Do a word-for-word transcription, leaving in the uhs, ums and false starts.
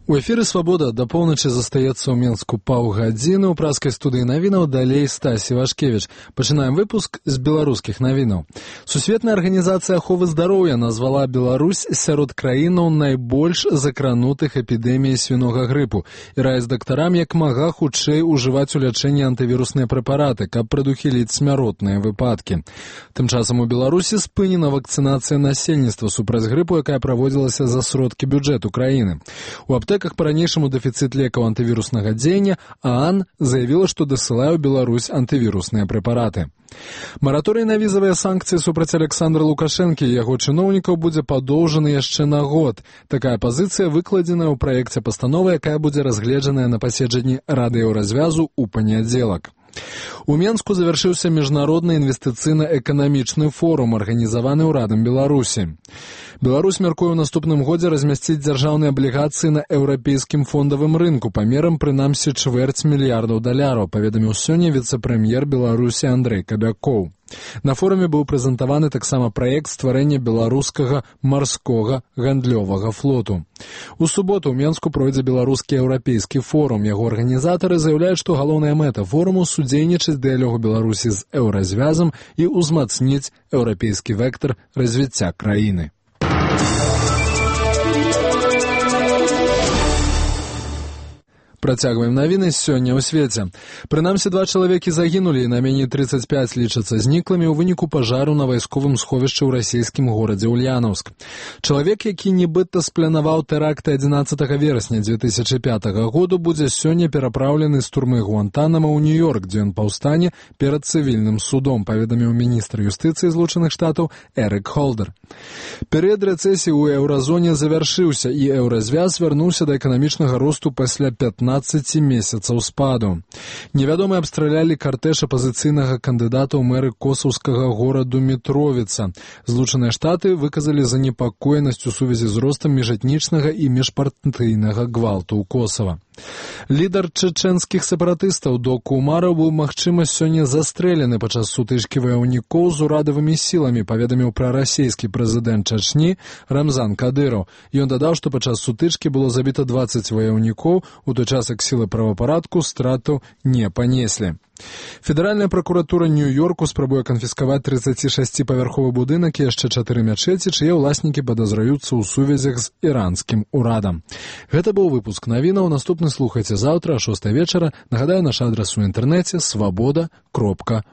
У эфіры «Свабода» да поўначы застаецца ў Менску паўгадзіны. У праскай студыі навінаў далей Стасі Вашкевіч. Пачынаем выпуск з беларускіх навінаў. Сусветная арганізацыя аховы здароўя назвала Беларусь сярод краінаў найбольш закранутых эпідэміяй свінога грыпу і раіць дактарам як мага хутчэй ужываць у лячэнні антывірусныя прэпараты, каб прадухіліць смяротныя выпадкі. Тым часам у Беларусі спынена вакцынацыя насельніцтва супраць грыпу, якая праводзілася за сродкі бюджэту краіны. У аптэках па-ранейшаму дэфіцыт лекаў антывіруснага дзеяння, а АН заявіла, што дасылае ў Беларусь антывірусныя прэпараты. Мараторый на візавыя санкцыі супраць Александра Лукашэнкі і яго чыноўнікаў будзе падоўжаны яшчэ на год. Такая пазіцыя выкладзеная ў праекце пастановы, якая будзе разгледжаная на паседжанні Рады Еўразвязу ў панядзелак. У Менску завяршыўся міжнародны інвестыцыйна-эканамічны форум, арганізаваны ўрадам Беларусі. Беларусь мяркуе ў наступным годзе размясціць дзяржаўныя аблігацыі на еўрапейскім фондавым рынку памерам прынамсі чвэрць мільярдаў даляраў, паведаміў сёння віцэ-прэм'ер Беларусі Андрэй Кабякоў. На форуме быў прэзентаваны таксама праект стварэння беларускага марскога гандлёвага флоту. У суботу ў Менску пройдзе беларускі еўрапейскі форум. Яго арганізатары заяўляюць, што галоўная мэта форуму судзейнічаць дыялогу Беларусі з еўразвязам і ўзмацніць еўрапейскі вектар развіцця краіны. Працягваем навіны сёння ў свеце. Прынамсі, два чалавекі загінулі і найменей трыццаць пяць лічацца зніклымі ў выніку пажару на вайсковым сховішчы ў расійскім горадзе Ульянаўск. Чалавек, які нібыта спланаваў тэракты адзінаццатага верасня дзве тысячы пятага году, будзе сёння перапраўлены з турмы Гуантанама ў Нью-Йорк, дзе ён паўстане перад цывільным судом, паведаміў міністр юстыцыі Злучаных Штатаў Эрык Холдер. Перыяд рэцэсіі ў еўразоне завяршыўся, і еўразвяз вярнуўся да эканамічнага росту пасля пятнаццаці месяцаў спаду. Невядомыя абстралялі картэж апазіцыйнага кандыдата ў мэры косаўскага гораду Мітровіца. Злучаныя Штаты выказалі занепакоенасць у сувязі з ростам міжэтнічнага і міжпартыйнага гвалту ў Косава. Лідар чэчэнскіх сепаратыстаў Доку Умараў быў, магчыма, сёння застрэлены падчас сутычкі ваяўнікоў з урадавымі сіламі, паведаміў прарасійскі прэзідэнт Чачні Рамзан Кадыраў. Ён дадаў, што падчас сутычкі было забіта дваццаць ваяўнікоў, у той час як сілы правапарадку стратаў не панеслі. Федэральная пракуратура Нью-Йорку спрабуе канфіскаваць трыццацішасціпавярховы будынак і яшчэ чатыры мячэці, чые ўласнікі падазраюцца ў сувязях з іранскім урадам. Гэта быў выпуск навінаў. Наступны слухайце заўтра а шостай вечара. Нагадаю, наш адрас у інтэрнэце свабода кропка